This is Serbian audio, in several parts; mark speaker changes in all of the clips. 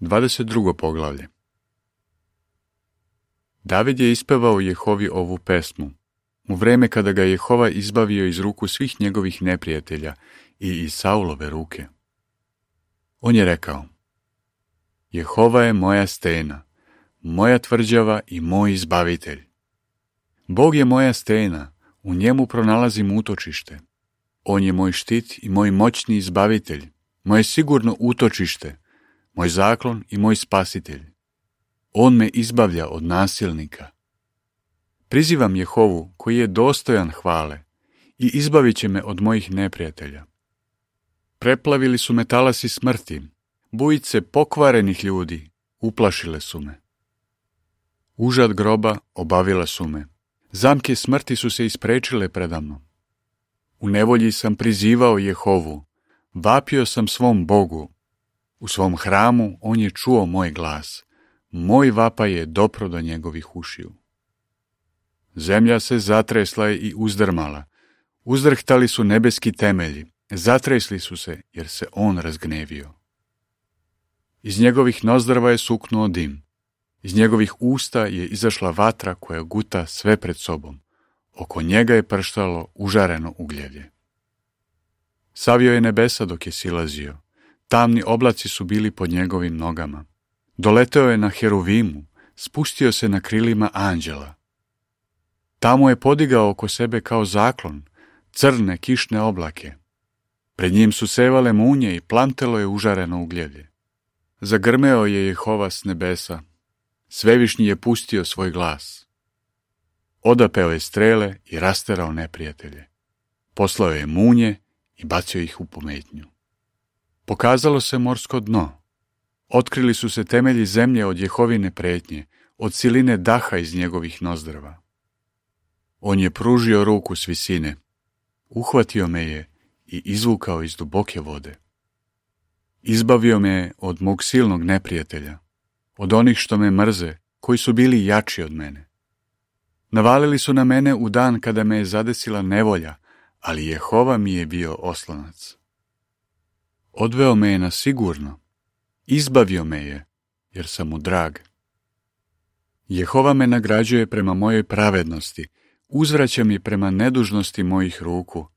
Speaker 1: 22. poglavlje. David je ispevao Jehovi ovu pesmu, u vreme kada ga Jehova izbavio iz ruku svih njegovih neprijatelja i iz Saulove ruke. On je rekao: Jehova je moja stena, moja tvrđava i moj izbavitelj. Bog je moja stena, u njemu pronalazim utočište. On je moj štit i moj moćni izbavitelj, moje sigurno utočište, moj zaklon i moj spasitelj. On me izbavlja od nasilnika. Prizivam Jehovu koji je dostojan hvale i izbavit će me od mojih neprijatelja. Preplavili su me talasi smrti, bujice pokvarenih ljudi uplašile su me. Užad groba obavila su me, zamke smrti su se isprečile predamnom. U nevolji sam prizivao Jehovu, vapio sam svom Bogu. U svom hramu on je čuo moj glas, moj vapaj je dopro do njegovih ušiju. Zemlja se zatresla i uzdrmala, uzdrhtali su nebeski temelji, zatresli su se jer se on razgnevio. Iz njegovih nozdrva je suknuo dim, iz njegovih usta je izašla vatra koja guta sve pred sobom, oko njega je prštalo užareno ugljevlje. Savio je nebesa dok je silazio, tamni oblaci su bili pod njegovim nogama. Doleteo je na heruvimu, spustio se na krilima anđela. Tamo je podigao oko sebe kao zaklon, crne kišne oblake. Pred njim su sevale munje i plantelo je užareno ugljevlje. Zagrmeo je Jehova s nebesa, Svevišnji je pustio svoj glas. Odapeo je strele i rasterao neprijatelje. Poslao je munje i bacio ih u pometnju. Pokazalo se morsko dno. Otkrili su se temelji zemlje od Jehovine pretnje, od siline daha iz njegovih nozdrva. On je pružio ruku s visine, uhvatio me je i izvukao iz duboke vode. Izbavio me je od mog silnog neprijatelja, od onih što me mrze, koji su bili jači od mene. Navalili su na mene u dan kada me je zadesila nevolja, ali Jehova mi je bio oslonac. Odveo me je na sigurno, izbavio me je, jer sam mu drag. Jehova me nagrađuje prema mojoj pravednosti, uzvraća mi prema nedužnosti mojih ruku,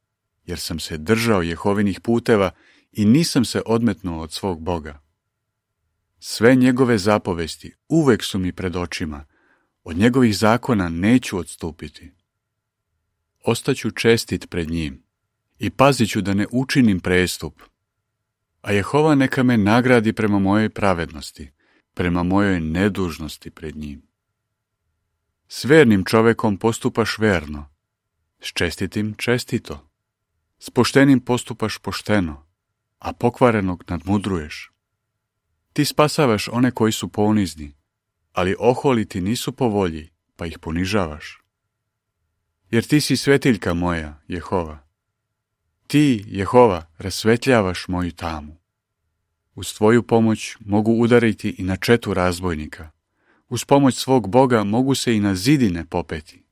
Speaker 1: jer sam se držao Jehovinih puteva i nisam se odmetnuo od svog Boga. Sve njegove zapovesti uvek su mi pred očima, od njegovih zakona neću odstupiti. Ostaću čestit pred njim i pazit ću da ne učinim prestup. A Jehova neka me nagradi prema mojoj pravednosti, prema mojoj nedužnosti pred njim. S vernim čovekom postupaš verno, s čestitim čestito, s poštenim postupaš pošteno, a pokvarenog nadmudruješ. Ti spasavaš one koji su ponizni, ali oholi ti nisu po volji, pa ih ponižavaš. Jer ti si svetiljka moja, Jehova. Ti, Jehova, rasvetljavaš moju tamu. Uz tvoju pomoć mogu udariti i na četu razbojnika. Uz pomoć svog Boga mogu se i na zidine popeti.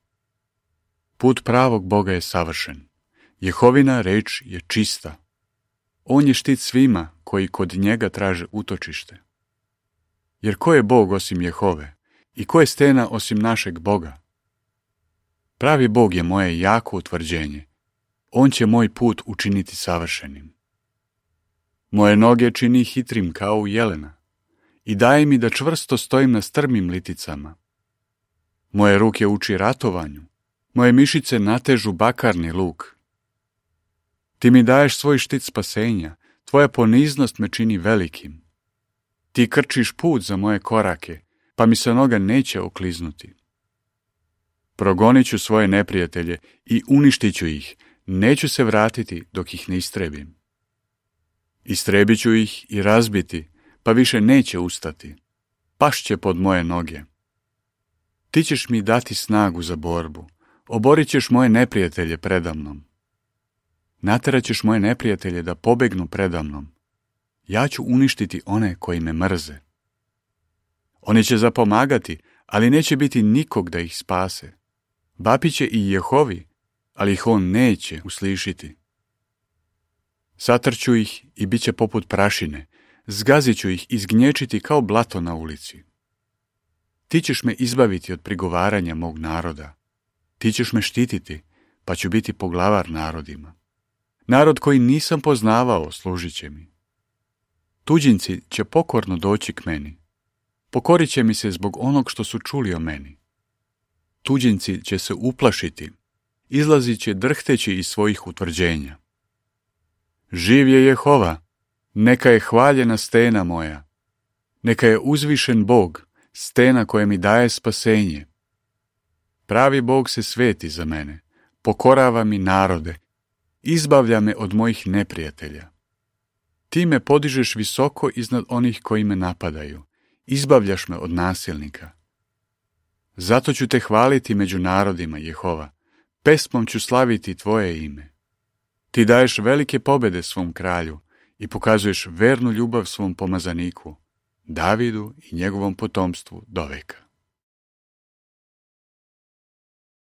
Speaker 1: Put pravog Boga je savršen. Jehovina reč je čista. On je štit svima koji kod njega traže utočište. Jer ko je Bog osim Jehove? I ko je stena osim našeg Boga? Pravi Bog je moje jako utvrđenje. On će moj put učiniti savršenim. Moje noge čini hitrim kao u jelena i daje mi da čvrsto stojim na strmim liticama. Moje ruke uči ratovanju, moje mišice natežu bakarni luk. Ti mi daješ svoj štit spasenja, tvoja poniznost me čini velikim. Ti krčiš put za moje korake, pa mi se noga neće okliznuti. Progonit ću svoje neprijatelje i uništit ću ih, neću se vratiti dok ih ne istrebim. Istrebit ću ih i razbiti, pa više neće ustati. Pašće pod moje noge. Ti ćeš mi dati snagu za borbu, oborit ćeš moje neprijatelje predamnom. Naterat ćeš moje neprijatelje da pobegnu predamnom. Ja ću uništiti one koji me mrze. Oni će zapomagati, ali neće biti nikog da ih spase. Vapit će i Jehovi, ali ih on neće uslišiti. Satrću ih i bit će poput prašine, Zgazit ću ih i zgnječiti kao blato na ulici. Ti ćeš me izbaviti od prigovaranja mog naroda. Ti ćeš me štititi, pa ću biti poglavar narodima. Narod koji nisam poznavao služit će mi. Tuđinci će pokorno doći k meni. Pokorit će mi se zbog onog što su čuli o meni. Tuđinci će se uplašiti, izlazit će drhteći iz svojih utvrđenja. Živ je Jehova, neka je hvaljena stena moja, neka je uzvišen Bog, stena koja mi daje spasenje. Pravi Bog se sveti za mene, pokorava mi narode, izbavlja me od mojih neprijatelja. Ti me podižeš visoko iznad onih koji me napadaju, izbavljaš me od nasilnika. Zato ću te hvaliti među narodima, Jehova, pesmom ću slaviti tvoje ime. Ti daješ velike pobjede svom kralju i pokazuješ vernu ljubav svom pomazaniku, Davidu i njegovom potomstvu doveka.